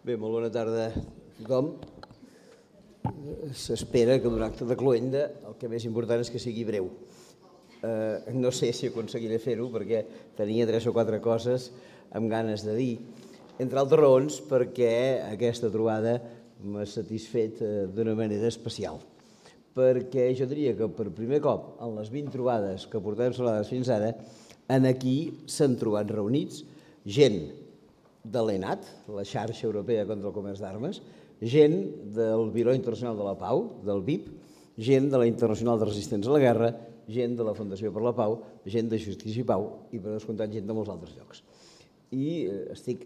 Bé, molt bona tarda a tothom. S'espera que d'un acte de cloenda el que més important és que sigui breu. No sé si aconseguiré fer-ho perquè tenia 3 o 4 coses amb ganes de dir, entre altres raons perquè aquesta trobada m'ha satisfet d'una manera especial. Perquè jo diria que per primer cop en les 20 trobades que portem celebrades fins ara, aquí s'han trobat reunits gent de l'ENAT, la xarxa europea contra el comerç d'armes, gent del Biro Internacional de la Pau, del BIP, gent de la Internacional de Resistents a la Guerra, gent de la Fundació per la Pau, gent de Justícia i Pau i, per descomptat, gent de molts altres llocs. I estic,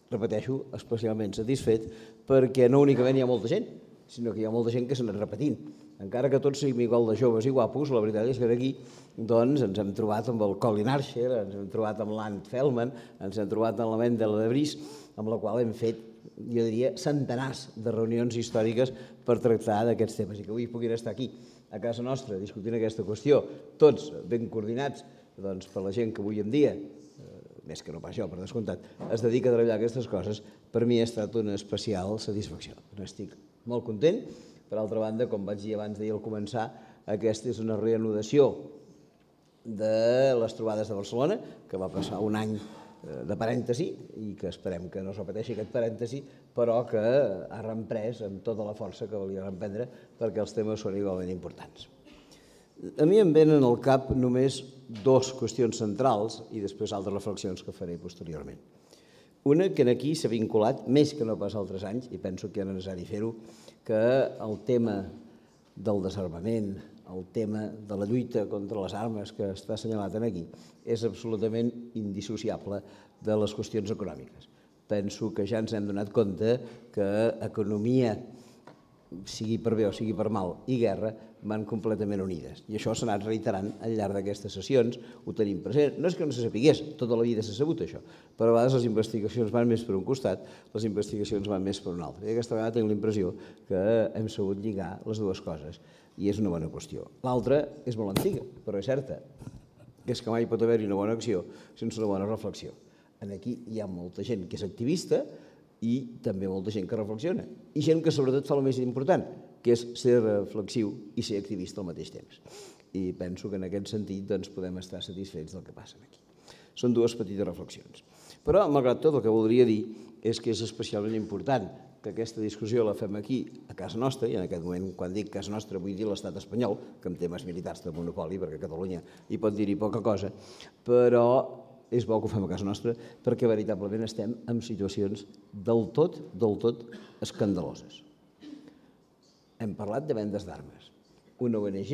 repeteixo, especialment satisfet perquè no únicament hi ha molta gent, sinó que hi ha molta gent que s'ha anat repetint. Encara que tots siguin igual de joves i guapos, la veritat és que aquí ens hem trobat amb el Colin Archer, ens hem trobat amb l'Ant Feldman, ens hem trobat amb la Mendel de Vries, amb la qual hem fet, jo diria, centenars de reunions històriques per tractar d'aquests temes i que avui puguin estar aquí, a casa nostra, discutint aquesta qüestió, tots ben coordinats per la gent que avui en dia, més que no pas jo, per descomptat, es dedica a treballar aquestes coses, per mi ha estat una especial satisfacció. N'estic molt content. Per altra banda, com vaig dir abans d'ahir al començar, aquesta és una reanudació de les trobades de Barcelona, que va passar un any de parèntesi i que esperem que no es repeteixi aquest parèntesi, però que ha reemprès amb tota la força que volia reemprendre perquè els temes són igualment importants. A mi em venen al cap només 2 qüestions centrals i després altres reflexions que faré posteriorment. Una que aquí s'ha vinculat, més que no pas altres anys, i penso que era necessari fer-ho, que el tema del desarmament, el tema de la lluita contra les armes que està assenyalat aquí, és absolutament indissociable de les qüestions econòmiques. Penso que ja ens hem donat compte que economia, sigui per bé o sigui per mal, i guerra van completament unides. I això s'ha anat reiterant al llarg d'aquestes sessions, ho tenim present. No és que no se sapigués, tota la vida s'ha sabut això, però a vegades les investigacions van més per un costat, les investigacions van més per un altre. I aquesta vegada tinc la impressió que hem sabut lligar les dues coses, i és una bona qüestió. L'altra és molt antiga, però és certa, que és que mai pot haver-hi una bona acció sense una bona reflexió. Aquí hi ha molta gent que és activista i també molta gent que reflexiona, i gent que sobretot fa el més important, que és ser reflexiu i ser activista al mateix temps. I penso que en aquest sentit podem estar satisfets del que passa aquí. Són 2 petites reflexions. Però, malgrat tot, el que voldria dir és que és especialment important que aquesta discussió la fem aquí, a casa nostra, i en aquest moment, quan dic casa nostra, vull dir l'estat espanyol, que en temes militars de monopoli, perquè Catalunya hi pot dir-hi poca cosa, però és bo que ho fem a casa nostra perquè veritablement estem en situacions del tot escandaloses. Hem parlat de vendes d'armes. Una ONG,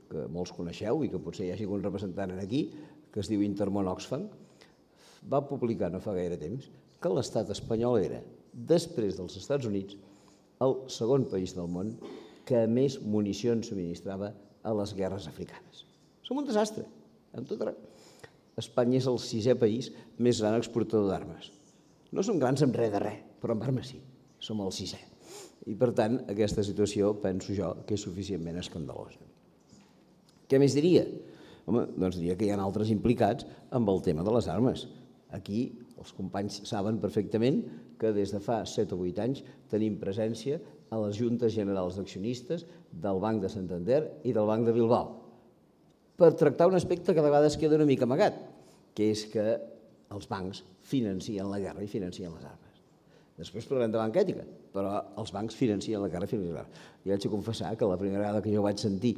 que molts coneixeu i que potser hi hagi algun representant aquí, que es diu Intermón Oxfam, va publicar no fa gaire temps que l'estat espanyol era, després dels Estats Units, el segon país del món que més municions subministrava a les guerres africanes. Som un desastre, amb tot arreu. Espanya és el 6è país més gran exportador d'armes. No som grans en res de res, però en armes sí, som el 6è. I per tant, aquesta situació, penso jo, que és suficientment escandalosa. Què més diria? Home, doncs diria que hi ha altres implicats amb el tema de les armes. Aquí els companys saben perfectament que des de fa 7 o 8 anys tenim presència a les juntes generals d'accionistes del Banc de Santander i del Banc de Bilbao, per tractar un aspecte que de vegades queda una mica amagat, que és que els bancs financien la guerra i financien les armes. Després parlarem de banca ètica, però els bancs financien la guerra i financien les armes. I haig de confessar que la primera vegada que jo vaig sentir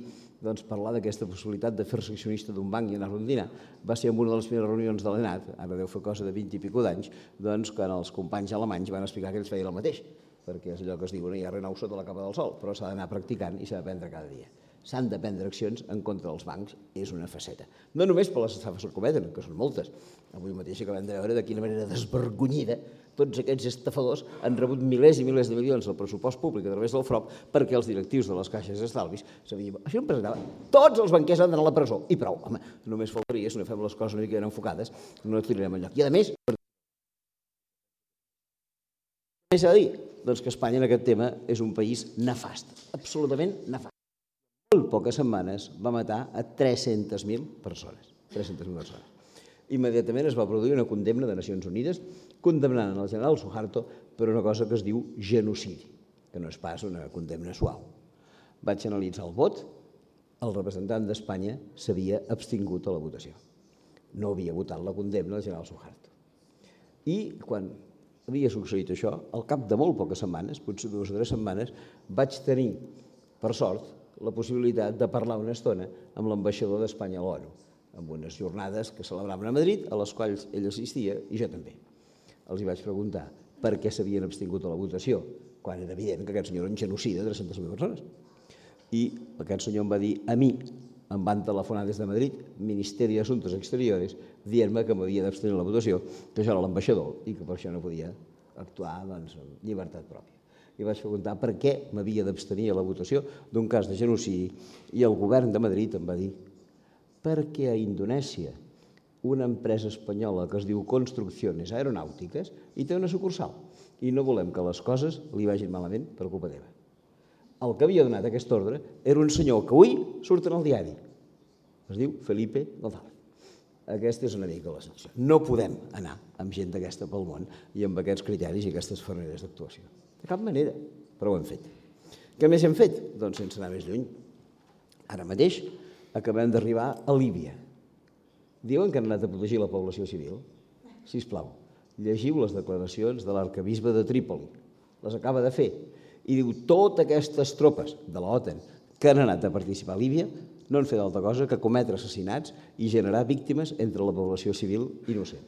parlar d'aquesta possibilitat de fer-se accionista d'un banc i anar-lo a dinar va ser en una de les primeres reunions de l'ENAT, ara deu fer cosa de 20 i escaig d'anys, quan els companys alemanys van explicar que ells feien el mateix, perquè és allò que es diu, no hi ha res nou sota la capa del sol, però s'ha d'anar practicant i s'ha d'aprendre cada dia. S'han de prendre accions en contra dels bancs, és una faceta. No només per les estafes que cometen, que són moltes. Avui mateix acabem de veure de quina manera desvergonyida tots aquests estafadors han rebut milers i milers de milions del pressupost públic a través del FROB perquè els directius de les caixes d'estalvis sabien... Això em presentava. Tots els banquers han d'anar a la presó. I prou. Home, només faltaria, si no fem les coses una mica ben enfocades, no tirarem enlloc. I a més... Què s'ha de dir? Doncs que Espanya en aquest tema és un país nefast, absolutament nefast. En poques setmanes va matar a 300.000 persones. 300.000 persones. Immediatament es va produir una condemna de Nacions Unides condemnant el general Suharto per una cosa que es diu genocidi, que no és pas una condemna suau. Vaig analitzar el vot, el representant d'Espanya s'havia abstingut a la votació. No havia votat la condemna del general Suharto. I quan havia succeït això, al cap de molt poques setmanes, potser 2 o 3 setmanes, vaig tenir, per sort, la possibilitat de parlar una estona amb l'ambaixador d'Espanya a l'ONU, amb unes jornades que celebraven a Madrid, a les quals ell assistia i jo també. Els hi vaig preguntar per què s'havien abstingut a la votació, quan era evident que aquest senyor era un genocida de 300.000 persones. I aquest senyor em va dir, a mi em van telefonar des de Madrid, Ministeri d'Assumptes Exteriores, dient-me que m'havia d'abstenir la votació, que jo era l'ambaixador i que per això no podia actuar amb llibertat pròpia. I vaig preguntar per què m'havia d'abstenir a la votació d'un cas de genocidi i el govern de Madrid em va dir perquè a Indonèsia una empresa espanyola que es diu Construcciones Aeronàutiques i té una sucursal i no volem que les coses li vagin malament per culpa teva. El que havia donat aquest ordre era un senyor que avui surt en el diari. Es diu Felipe González. Aquesta és una mica la situació. No podem anar amb gent d'aquesta pel món i amb aquests criteris i aquestes maneres d'actuació. De cap manera, però ho hem fet. Què més hem fet? Doncs sense anar més lluny. Ara mateix acabem d'arribar a Líbia. Diuen que han anat a protegir la població civil? Sisplau, llegiu les declaracions de l'arquebisbe de Trípoli. Les acaba de fer. I diu, totes aquestes tropes de l'OTAN que han anat a participar a Líbia no han fet altra cosa que cometre assassinats i generar víctimes entre la població civil innocent.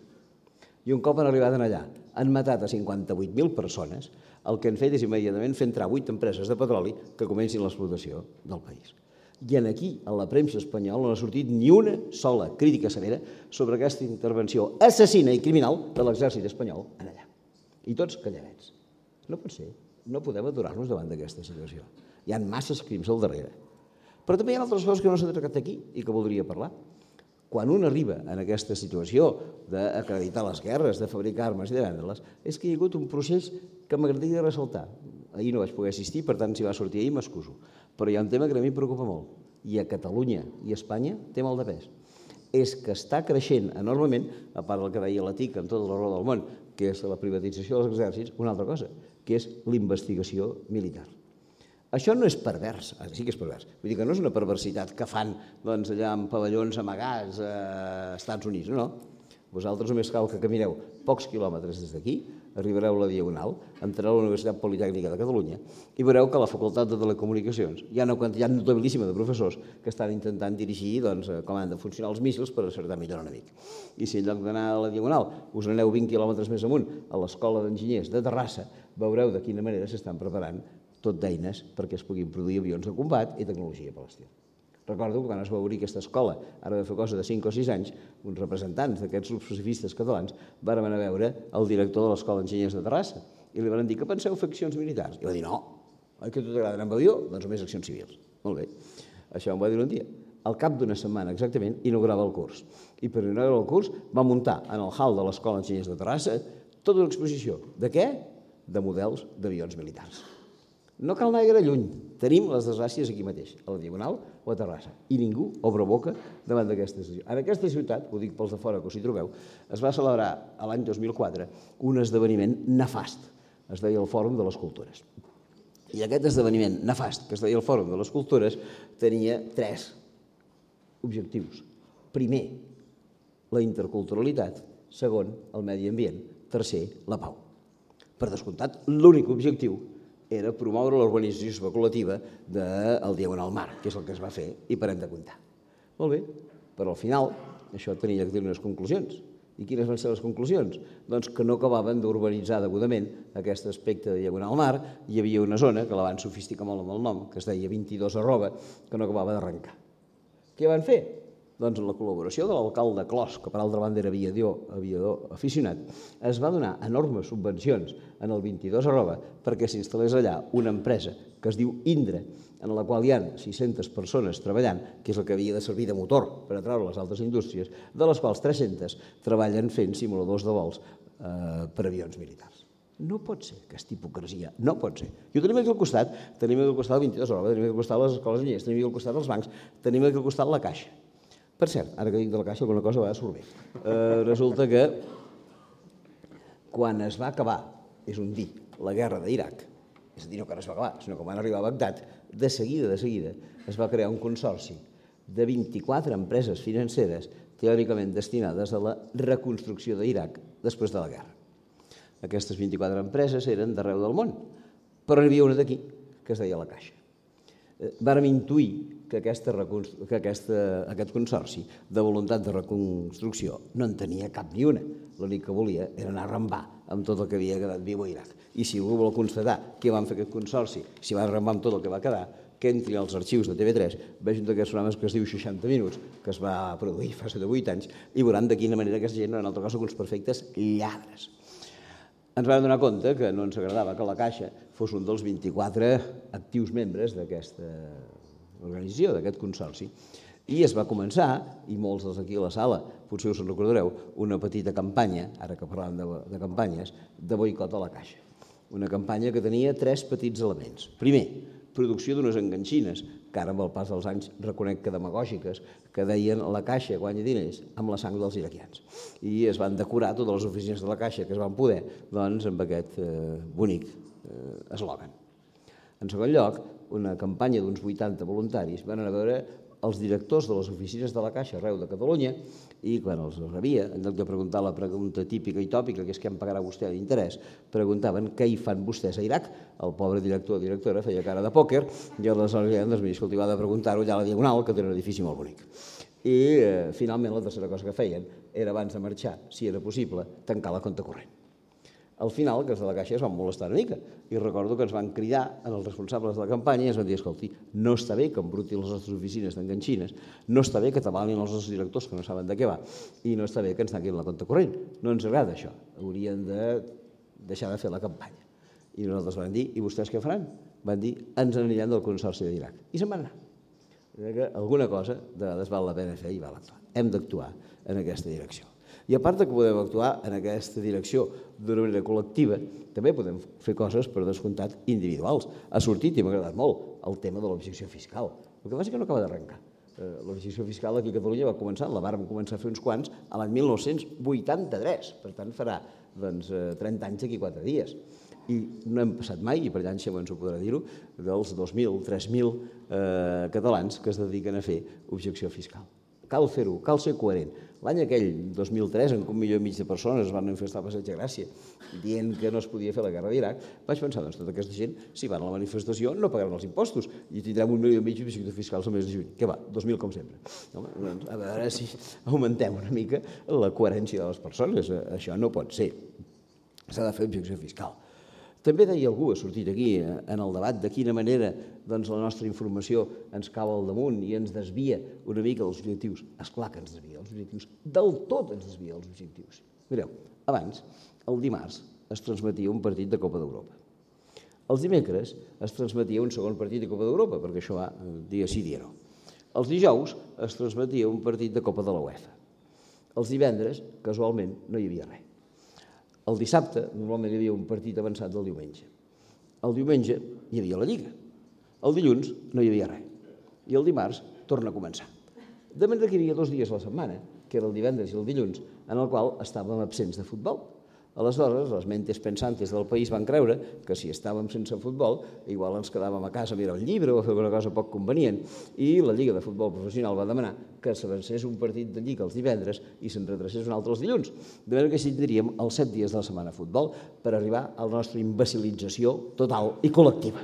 I un cop han arribat allà, han matat a 58.000 persones, el que han fet és immediatament fer entrar 8 empreses de petroli que comencin l'explotació del país. I aquí, a la premsa espanyola, no ha sortit ni una sola crítica severa sobre aquesta intervenció assassina i criminal de l'exèrcit espanyol allà. I tots calladets. No pot ser. No podem aturar-nos davant d'aquesta situació. Hi ha masses crims al darrere. Però també hi ha altres coses que no s'han tractat aquí i que voldria parlar. Quan un arriba en aquesta situació d'acreditar les guerres, de fabricar armes i de vendre-les, és que hi ha hagut un procés que m'agradaria ressaltar. Ahir no vaig poder assistir, per tant, si va sortir ahir m'excuso. Però hi ha un tema que a mi em preocupa molt, i a Catalunya i a Espanya té molt de pes. És que està creixent enormement, a part del que deia la TIC amb tota la raó del món, que és la privatització dels exèrcits, una altra cosa, que és la investigació militar. Això no és pervers, sí que és pervers, vull dir que no és una perversitat que fan allà amb pavellons amagats als Estats Units, no. Vosaltres només cal que camineu pocs quilòmetres des d'aquí, arribareu a la Diagonal, entrareu a la Universitat Politècnica de Catalunya i veureu que a la Facultat de Telecomunicacions hi ha una quantitat notabilíssima de professors que estan intentant dirigir com han de funcionar els míssils per acertar millor l'enemic. I si en lloc d'anar a la Diagonal us aneu 20 quilòmetres més amunt a l'Escola d'Enginyers de Terrassa, veureu de quina manera s'estan preparant tot d'eines perquè es puguin produir avions de combat i tecnologia per l'estil. Recordo que quan es va obrir aquesta escola, ara de fer cosa de 5 o 6 anys, uns representants d'aquests grups pacifistes catalans van anar a veure el director de l'Escola d'Enginyers de Terrassa i li van dir que penseu fer accions militars. I va dir, no, oi que a tu t'agrada anar amb avió? Doncs només accions civils. Molt bé, això em va dir un dia. Al cap d'una setmana exactament inaugurava el curs. I per inaugurar el curs va muntar en el hall de l'Escola d'Enginyers de Terrassa tota una exposició. De què? De models d'avions militars. No cal anar gaire lluny. Tenim les desgràcies aquí mateix, a la Diagonal o a Terrassa. I ningú obre boca davant d'aquesta situació. En aquesta ciutat, ho dic pels de fora que us hi trobeu, es va celebrar l'any 2004 un esdeveniment nefast. Es deia el Fòrum de les Cultures. I aquest esdeveniment nefast, que es deia el Fòrum de les Cultures, tenia 3 objectius. Primer, la interculturalitat. Segon, el medi ambient. Tercer, la pau. Per descomptat, l'únic objectiu era promoure l'urbanització especulativa del Diagonal Mar, que és el que es va fer, i parem de comptar. Molt bé, però al final això tenia que tenir unes conclusions. I quines van ser les conclusions? Doncs que no acabaven d'urbanitzar degudament aquest aspecte de Diagonal Mar. Hi havia una zona, que la van sofisticar molt amb el nom, que es deia 22 arroba, que no acabava d'arrencar. Què van fer? Doncs amb la col·laboració de l'alcalde Clos, que per altra banda era aviador aficionat, es va donar enormes subvencions en el 22 arroba perquè s'instal·lés allà una empresa que es diu Indra, en la qual hi ha 600 persones treballant, que és el que havia de servir de motor per atraure les altres indústries, de les quals 300 treballen fent simuladors de vols per avions militars. No pot ser aquesta hipocresia, no pot ser. I ho tenim aquí al costat, tenim aquí al costat el 22 arroba, tenim aquí al costat les escoles enginyers, tenim aquí al costat els bancs, tenim aquí al costat la Caixa. Per cert, ara que dic de la Caixa, alguna cosa va surt bé. Resulta que quan es va acabar, és un dir, la guerra d'Iraq, és a dir, no que no es va acabar, sinó que van arribar a Bagdad, de seguida es va crear un consorci de 24 empreses financeres teòricament destinades a la reconstrucció d'Iraq després de la guerra. Aquestes 24 empreses eren d'arreu del món, però n'hi havia una d'aquí, que es deia La Caixa. Vàrem intuir que aquest consorci de voluntat de reconstrucció no en tenia cap ni una. L'únic que volia era anar a rambar amb tot el que havia quedat viu a Iraq. I si algú vol constatar què van fer aquest consorci, si va rambar amb tot el que va quedar, que entri als arxius de TV3, vegin d'aquests programes que es diu 60 minuts, que es va produir fa 7 o 8 anys, i veuran de quina manera aquesta gent no eren altra cosa que uns perfectes lladres. Ens vam donar compte que no ens agradava que la Caixa fos un dels 24 actius membres d'aquesta organització, d'aquest consorci. I es va començar, i molts dels aquí a la sala potser us en recordareu, una petita campanya, ara que parlàvem de campanyes, de boicot a la Caixa. Una campanya que tenia 3 petits elements. Primer, producció d'unes enganxines, que ara amb el pas dels anys reconec que demagògiques, que deien la Caixa guanya diners amb la sang dels iraquians. I es van decorar totes les oficines de la Caixa que es van poder amb aquest bonic eslògan. En segon lloc, una campanya d'uns 80 voluntaris van anar a veure els directors de les oficines de la Caixa arreu de Catalunya i quan els rebia, en lloc de preguntar la pregunta típica i tòpica, que és què em pagarà vostè d'interès, preguntaven què hi fan vostès a Iraq. El pobre director o directora feia cara de pòquer i aleshores doncs, escolti, va de preguntar-ho allà a la Diagonal, que té un edifici molt bonic. I finalment la tercera cosa que feien era, abans de marxar, si era possible, tancar la compte corrent. Al final, que els de la Caixa es van molestar una mica i recordo que ens van cridar als responsables de la campanya i ens van dir, escolti, no està bé que embrutin les nostres oficines d'enganxines, no està bé que tabalin els nostres directors que no saben de què va i no està bé que ens tanquin la compte corrent. No ens agrada això, haurien de deixar de fer la campanya. I nosaltres vam dir, i vostès què faran? Van dir, ens anirem del Consorci d'Iraq. I se'n van anar. Que alguna cosa de vegades val la pena fer i val actuar. Hem d'actuar en aquesta direcció. I a part que podem actuar en aquesta direcció d'una manera col·lectiva, també podem fer coses, per descomptat, individuals. Ha sortit, i m'ha agradat molt, el tema de l'objecció fiscal. El que passa és que no acaba d'arrencar. L'objecció fiscal aquí a Catalunya va començar, la vàrem començar a fer uns quants a l'any 1983, per tant farà 30 anys d'aquí 4 dies. I no hem passat mai, i per allà en Xemo ens ho podrà dir-ho, dels 2.000, 3.000 catalans que es dediquen a fer objecció fiscal. Cal fer-ho, cal ser coherent. L'any aquell, 2003, en què 1,5 milió de persones es van manifestar a Passeig de Gràcia dient que no es podia fer la guerra d'Iraq, vaig pensar, doncs tota aquesta gent, si van a la manifestació, no pagaran els impostos i tindrem 1,5 milió d'objectius fiscals al mes de juny. Què va? 2.000 com sempre. A veure si augmentem una mica la coherència de les persones. Això no pot ser. S'ha de fer objecció fiscal. També deia algú, ha sortit aquí en el debat, de quina manera la nostra informació ens cau al damunt i ens desvia una mica dels objectius. Esclar que ens desvia els objectius, del tot ens desvia els objectius. Mireu, abans, el dimarts, es transmetia un partit de Copa d'Europa. Els dimecres es transmetia un segon partit de Copa d'Europa, perquè això va dia sí, dia no. Els dijous es transmetia un partit de Copa de la UEFA. Els divendres, casualment, no hi havia res. El dissabte, normalment hi havia un partit avançat del diumenge. El diumenge hi havia la Lliga. El dilluns no hi havia res. I el dimarts torna a començar. De manera que hi havia 2 dies a la setmana, que era el divendres i el dilluns, en el qual estàvem absents de futbol. Aleshores, les mentes pensantes del país van creure que si estàvem sense futbol, igual ens quedàvem a casa a mirar un llibre o a fer alguna cosa poc convenient, i la Lliga de Futbol Professional va demanar que s'avancés un partit de Lliga els divendres i se'n retracés un altre els dilluns. De manera que així tindríem els 7 dies de la setmana a futbol per arribar a la nostra imbecilització total i col·lectiva.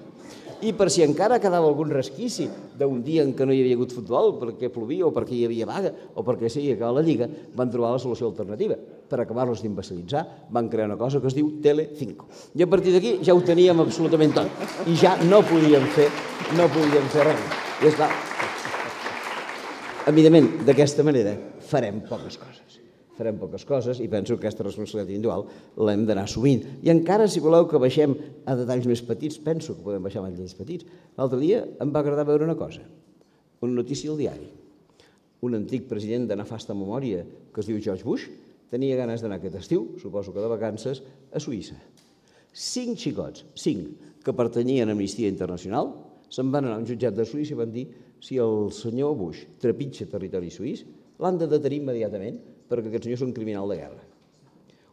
I per si encara quedava algun resquici d'un dia en què no hi havia hagut futbol, perquè plovia o perquè hi havia vaga o perquè s'havia acabat la Lliga, van trobar la solució alternativa. Per acabar-los d'imbecilitzar, van crear una cosa que es diu Tele5. I a partir d'aquí ja ho teníem absolutament tot. I ja no podíem fer res. I esclar, evidentment, d'aquesta manera farem poques coses. Farem poques coses i penso que aquesta responsabilitat individual l'hem d'anar assumint. I encara, si voleu que baixem a detalls més petits, penso que podem baixar a detalls petits. L'altre dia em va agradar veure una cosa, una notícia al diari. Un antic president de nefasta memòria que es diu George Bush tenia ganes d'anar aquest estiu, suposo que de vacances, a Suïssa. 5 xicots, 5, que pertanyien a Amnistia Internacional, se'n van anar a un jutjat de Suïssa i van dir si el senyor Bush trepitja territori suís, l'han de detenir immediatament perquè aquest senyor és un criminal de guerra.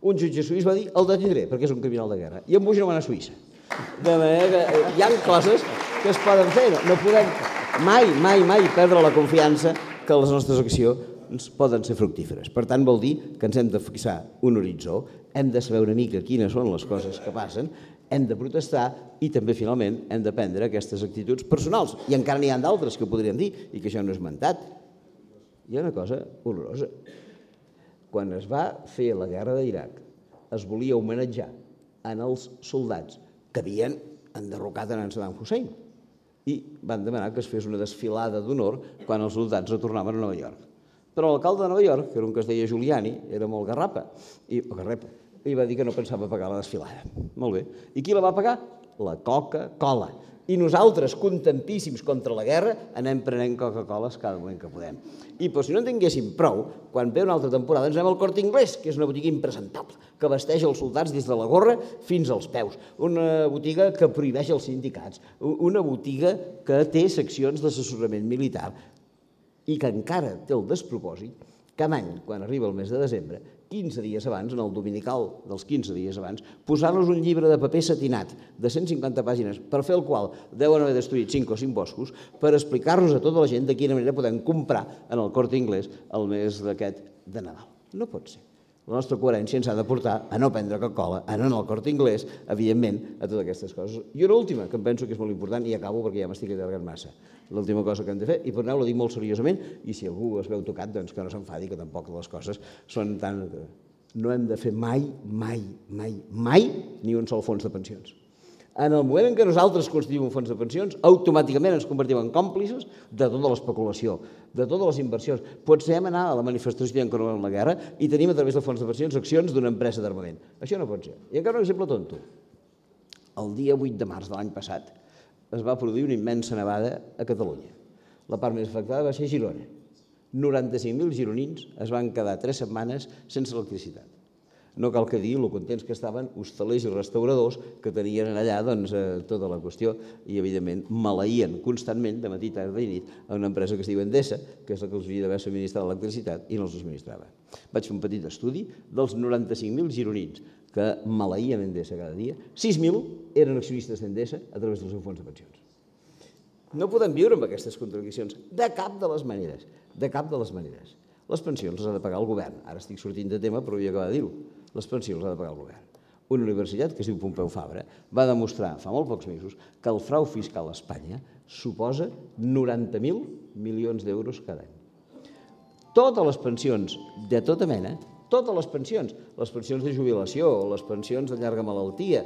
Un jutge suís va dir, el detindré, perquè és un criminal de guerra. I en Bush no va anar a Suïssa. De manera que hi ha coses que es poden fer. No podem mai perdre la confiança que les nostres accions poden ser fructíferes. Per tant, vol dir que ens hem de fixar un horitzó, hem de saber una mica quines són les coses que passen, hem de protestar i també, finalment, hem de prendre aquestes actituds personals. I encara n'hi ha d'altres que podríem dir, i que això no és esmentat. Hi ha una cosa horrorosa. Quan es va fer la guerra d'Iraq, es volia homenatjar en els soldats que havien enderrocat en Saddam Hussein i van demanar que es fes una desfilada d'honor quan els soldats retornaven a Nova York. Però l'alcalde de Nova York, que era un que es deia Giuliani, era molt garrapa, i va dir que no pensava pagar la desfilada. Molt bé. I qui la va pagar? La Coca-Cola. I nosaltres, contentíssims contra la guerra, anem prenent Coca-Coles cada moment que podem. I si no en tinguéssim prou, quan ve una altra temporada ens anem al Corte Inglés, que és una botiga impresentable, que vesteix els soldats des de la gorra fins als peus. Una botiga que prohibeix els sindicats. Una botiga que té seccions d'assessorament militar i que encara té el despropòsit cada any, quan arriba el mes de desembre, 15 dies abans, en el dominical dels 15 dies abans, posar-nos un llibre de paper satinat de 150 pàgines per fer el qual deuen haver destruït 5 o 5 boscos per explicar-nos a tota la gent de quina manera podem comprar en el Corte Inglés el mes d'aquest de Nadal. No pot ser. La nostra coherència ens ha de portar a no prendre Coca-Cola, a no anar al Corte Inglés, evidentment, a totes aquestes coses. I una última, que em penso que és molt important, i acabo perquè ja m'estic allargant massa. L'última cosa que hem de fer, i per anar-ho dic molt seriosament, i si algú es veu tocat, doncs que no s'enfadi, que tampoc les coses són tan... No hem de fer mai ni un sol fons de pensions. En el moment en què nosaltres constituïm un fons de pensions, automàticament ens convertim en còmplices de tota l'especulació, de totes les inversions. Potsem anar a la manifestació dient que no volem la guerra i tenim a través del fons de pensions accions d'una empresa d'armament. Això no pot ser. I encara un exemple tonto. El dia 8 de març de l'any passat es va produir una immensa nevada a Catalunya. La part més afectada va ser Girona. 95.000 gironins es van quedar 3 setmanes sense electricitat. No cal que dir lo contents que estaven hostalers i restauradors que tenien allà tota la qüestió i, evidentment, maleïen constantment de matí, tarda i nit a una empresa que es diu Endesa, que és la que els havia d'haver subministrat l'electricitat i no els subministrava. Vaig fer un petit estudi dels 95.000 gironins que maleïen Endesa cada dia. 6.000 eren accionistes d'Endesa a través del seu fons de pensions. No podem viure amb aquestes contradiccions de cap de les maneres, de cap de les maneres. Les pensions les ha de pagar el govern. Ara estic sortint de tema, però vull acabar de dir-ho. Les pensions les ha de pagar el govern. Una universitat, que es diu Pompeu Fabra, va demostrar fa molt pocs mesos que el frau fiscal a Espanya suposa 90.000 milions d'euros cada any. Totes les pensions de tota mena, totes les pensions de jubilació, les pensions de llarga malaltia,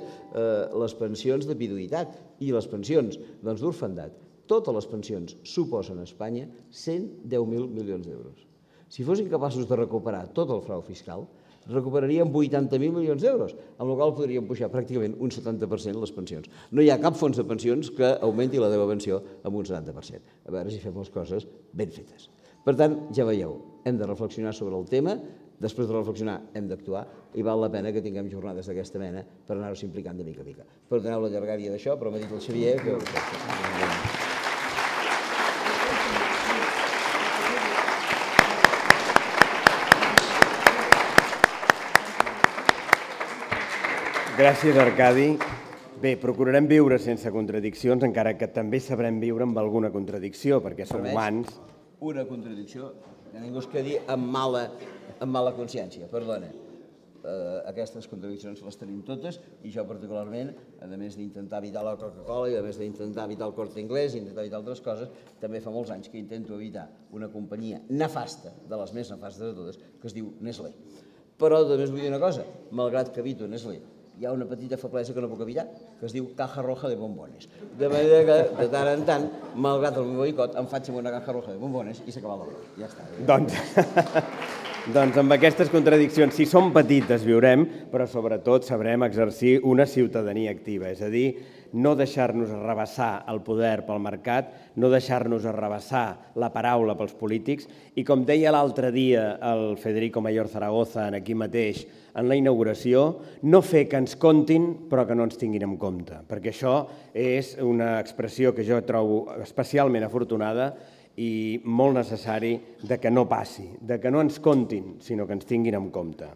les pensions de viduïtat i les pensions d'orfandat, totes les pensions suposen a Espanya 110.000 milions d'euros. Si fossin capaços de recuperar tot el frau fiscal, recuperaríem 80.000 milions d'euros, amb la qual podríem pujar pràcticament un 70% les pensions. No hi ha cap fons de pensions que augmenti la teva pensió amb un 70%. A veure si fem les coses ben fetes. Per tant, ja veieu, hem de reflexionar sobre el tema, després de reflexionar hem d'actuar i val la pena que tinguem jornades d'aquesta mena per anar-nos implicant de mica a mica. Perdoneu la llargària d'això, però m'ha dit el Xavier que... Gràcies, Arcadi. Bé, procurarem viure sense contradiccions, encara que també sabrem viure amb alguna contradicció, perquè som humans. Una contradicció, que ningú es quedi amb mala consciència, perdona. Aquestes contradiccions les tenim totes i jo particularment, a més d'intentar evitar la Coca-Cola i a més d'intentar evitar el Corte Inglés i intentar evitar altres coses, també fa molts anys que intento evitar una companyia nefasta, de les més nefastes de totes, que es diu Nestlé. Però també us vull dir una cosa, malgrat que evito Nestlé, hi ha una petita feblesa que no puc evitar, que es diu Caja Roja de Bombones. De manera que, de tant en tant, malgrat el meu boicot, em faig amb una Caja Roja de Bombones i s'acaba l'obra. Ja està. Doncs amb aquestes contradiccions, si són petites, viurem, però sobretot sabrem exercir una ciutadania activa, és a dir, no deixar-nos arrabassar el poder pel mercat, no deixar-nos arrabassar la paraula pels polítics i, com deia l'altre dia el Federico Mayor Zaragoza aquí mateix en la inauguració, no fer que ens comptin però que no ens tinguin en compte, perquè això és una expressió que jo trobo especialment afortunada i molt necessari de que no passi, de que no ens comptin, sinó que ens tinguin en compte.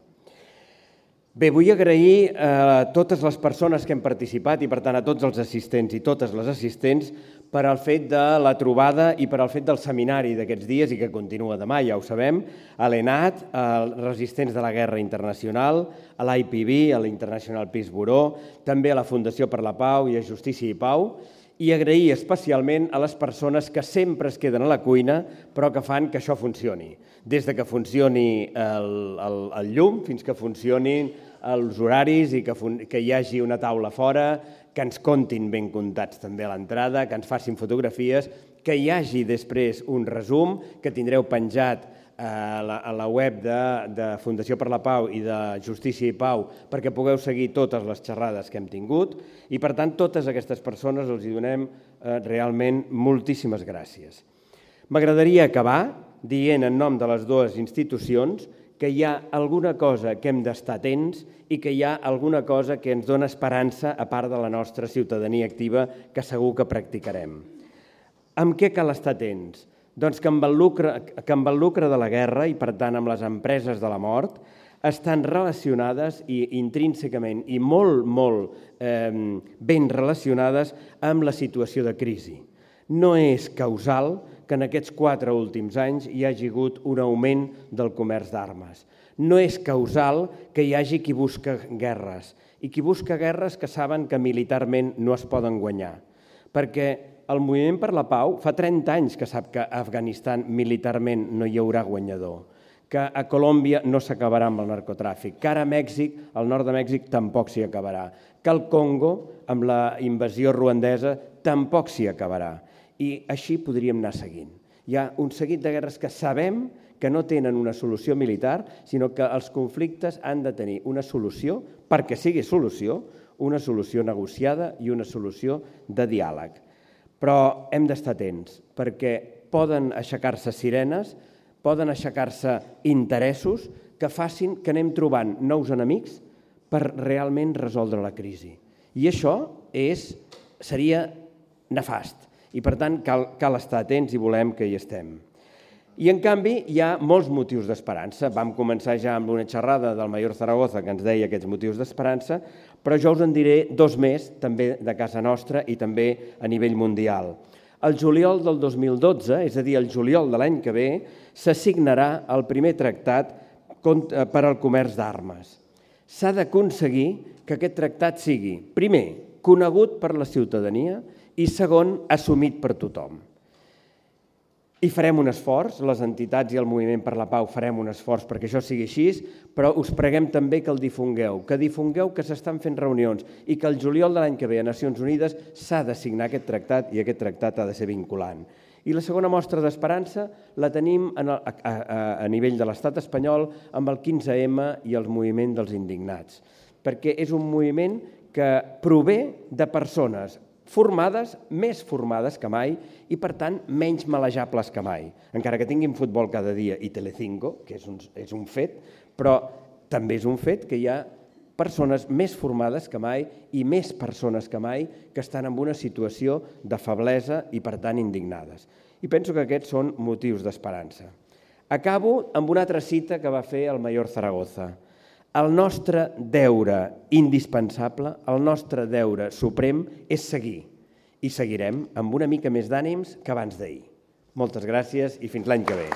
Bé, vull agrair a totes les persones que hem participat i, per tant, a tots els assistents i totes les assistents per al fet de la trobada i per al fet del seminari d'aquests dies i que continua demà, ja ho sabem, a l'ENAT, als resistents de la Guerra Internacional, a l'IPB, a l'International Peace Bureau, també a la Fundació per la Pau i a Justícia i Pau, i agrair especialment a les persones que sempre es queden a la cuina però que fan que això funcioni. Des que funcioni el llum fins que funcionin els horaris i que hi hagi una taula fora, que ens comptin ben comptats també a l'entrada, que ens facin fotografies, que hi hagi després un resum que tindreu penjat a la web de Fundació per la Pau i de Justícia i Pau perquè pugueu seguir totes les xerrades que hem tingut i, per tant, totes aquestes persones els hi donem realment moltíssimes gràcies. M'agradaria acabar dient en nom de les dues institucions que hi ha alguna cosa que hem d'estar atents i que hi ha alguna cosa que ens dona esperança a part de la nostra ciutadania activa que segur que practicarem. Amb què cal estar atents? Doncs que amb el lucre de la guerra i, per tant, amb les empreses de la mort, estan relacionades i intrínsecament i molt ben relacionades amb la situació de crisi. No és causal que en aquests 4 últims anys hi hagi hagut un augment del comerç d'armes. No és causal que hi hagi qui busca guerres i qui busca guerres que saben que militarment no es poden guanyar. Perquè el Moviment per la Pau fa 30 anys que sap que a Afganistan militarment no hi haurà guanyador, que a Colòmbia no s'acabarà amb el narcotràfic, que ara a Mèxic, al nord de Mèxic, tampoc s'hi acabarà, que al Congo, amb la invasió ruandesa, tampoc s'hi acabarà. I així podríem anar seguint. Hi ha un seguit de guerres que sabem que no tenen una solució militar, sinó que els conflictes han de tenir una solució, perquè sigui solució, una solució negociada i una solució de diàleg. Però hem d'estar atents, perquè poden aixecar-se sirenes, poden aixecar-se interessos que facin que anem trobant nous enemics per realment resoldre la crisi. I això seria nefast. I, per tant, cal estar atents i volem que hi estem. I, en canvi, hi ha molts motius d'esperança. Vam començar ja amb una xerrada del Mayor Zaragoza que ens deia aquests motius d'esperança, però jo us en diré 2 més, també de casa nostra i també a nivell mundial. El juliol del 2012, és a dir, el juliol de l'any que ve, s'assignarà el primer tractat per al comerç d'armes. S'ha d'aconseguir que aquest tractat sigui, primer, conegut per la ciutadania i, segon, assumit per tothom. I farem un esforç, les entitats i el Moviment per la Pau farem un esforç perquè això sigui així, però us preguem també que el difongueu que s'estan fent reunions i que el juliol de l'any que ve a Nacions Unides s'ha de signar aquest tractat i aquest tractat ha de ser vinculant. I la segona mostra d'esperança la tenim a nivell de l'estat espanyol amb el 15M i el moviment dels indignats, perquè és un moviment que prové de persones formades, més formades que mai i, per tant, menys malejables que mai. Encara que tinguin futbol cada dia i Telecinco, que és un fet, però també és un fet que hi ha persones més formades que mai i més persones que mai que estan en una situació de feblesa i, per tant, indignades. I penso que aquests són motius d'esperança. Acabo amb una altra cita que va fer el Mayor Zaragoza. El nostre deure indispensable, el nostre deure suprem és seguir. I seguirem amb una mica més d'ànims que abans d'ahir. Moltes gràcies i fins l'any que ve.